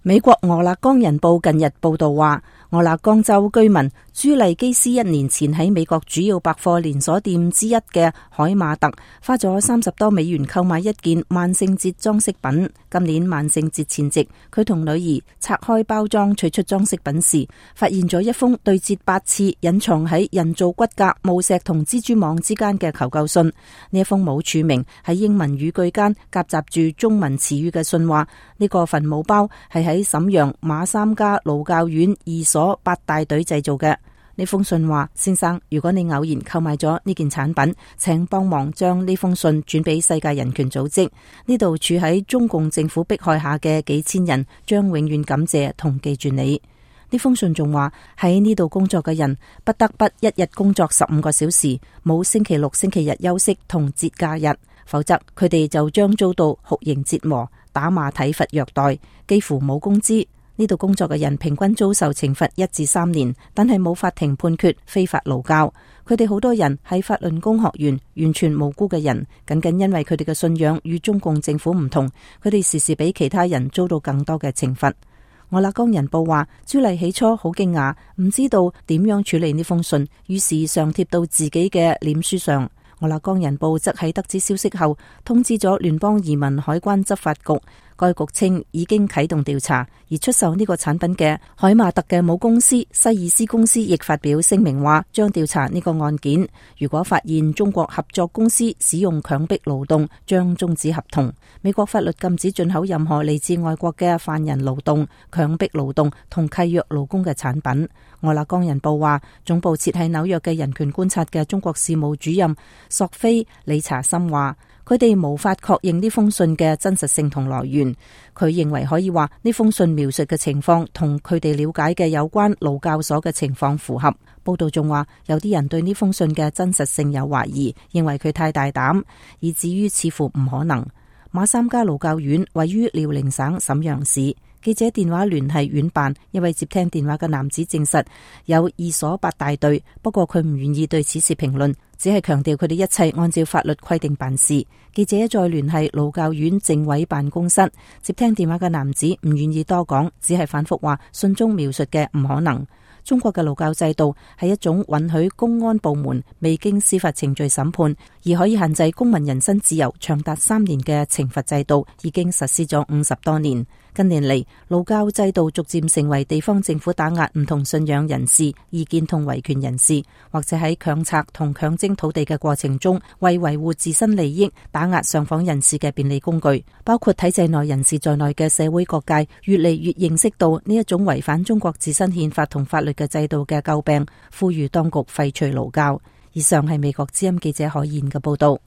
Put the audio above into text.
美國俄勒岡人報近日報道話，俄勒岡州居民朱麗基斯1年前喺美國主要百貨連鎖店之一嘅海馬特花咗30多美元購買一件萬聖節裝飾品。今年萬聖節前夕，佢同女兒拆開包裝取出裝飾品時，發現咗一封對折8次、隱藏喺人造骨骼、墓石同蜘蛛網之間嘅求救信。呢一封冇署名，喺英文語句間夾雜住中文詞語嘅信話，呢個墳墓包係喺瀋陽馬三家勞教院2所8大隊製造嘅。呢封信話：先生，如果你偶然購買咗呢件產品，請幫忙將呢封信轉俾世界人權組織。呢度處喺中共政府迫害下嘅幾千人將永遠感謝同記住你。呢封信仲話，喺呢度工作嘅人不得不一日工作15個小時，冇星期六、星期日休息同節假日，否則佢哋就將遭到酷刑折磨、打罵、體罰、虐待，幾乎冇工資。呢度工作嘅人平均遭受懲罰1至3年，但係冇法庭判決非法勞教。佢哋好多人係法輪功學員，完全無辜嘅人，僅僅因為佢哋嘅信仰與中共政府唔同，佢哋時時比其他人遭到更多嘅懲罰。俄勒岡人報話，朱麗起初好驚訝，唔知道點樣處理呢封信，於是上貼到自己嘅臉書上。俄勒岡人報則喺得知消息後，通知咗聯邦移民海關執法局。該局稱已經啟動調查，而出售呢個產品嘅海馬特嘅母公司西爾斯公司亦發表聲明話，將調查呢個案件。如果發現中國合作公司使用強迫勞動，將終止合同。美國法律禁止進口任何嚟自外國嘅犯人勞動、強迫勞動同契約勞工嘅產品。俄勒岡人報話，總部設喺紐約嘅人權觀察嘅中國事務主任索菲理查森話，佢哋無法確認呢封信嘅真實性同來源。佢認為可以話呢封信描述嘅情況同佢哋了解嘅有關勞教所嘅情況符合。報道仲話，有啲人對呢封信嘅真實性有懷疑，認為佢太大膽，以至於似乎唔可能。馬三家勞教院位於遼寧省瀋陽市。記者電話聯繫院辦，一位接聽電話嘅男子證實有2所8大隊，不過佢唔願意對此事評論，只係強調佢哋一切按照法律規定辦事。記者再聯繫勞教院政委辦公室，接聽電話嘅男子唔願意多講，只係反覆話信中描述嘅唔可能。中國嘅勞教制度係一種允許公安部門未經司法程序審判而可以限制公民人身自由長達3年嘅懲罰制度，已經實施咗50多年。近年嚟，勞教制度逐漸成為地方政府打壓唔同信仰人士、意見同維權人士，或者喺強拆同強徵土地嘅過程中，為維護自身利益打壓上訪人士嘅便利工具。包括體制內人士在內嘅社會各界越嚟越認識到呢一種違反中國自身憲法同法律嘅制度嘅詬病，呼籲當局廢除勞教。以上係美國之音記者海燕嘅報道。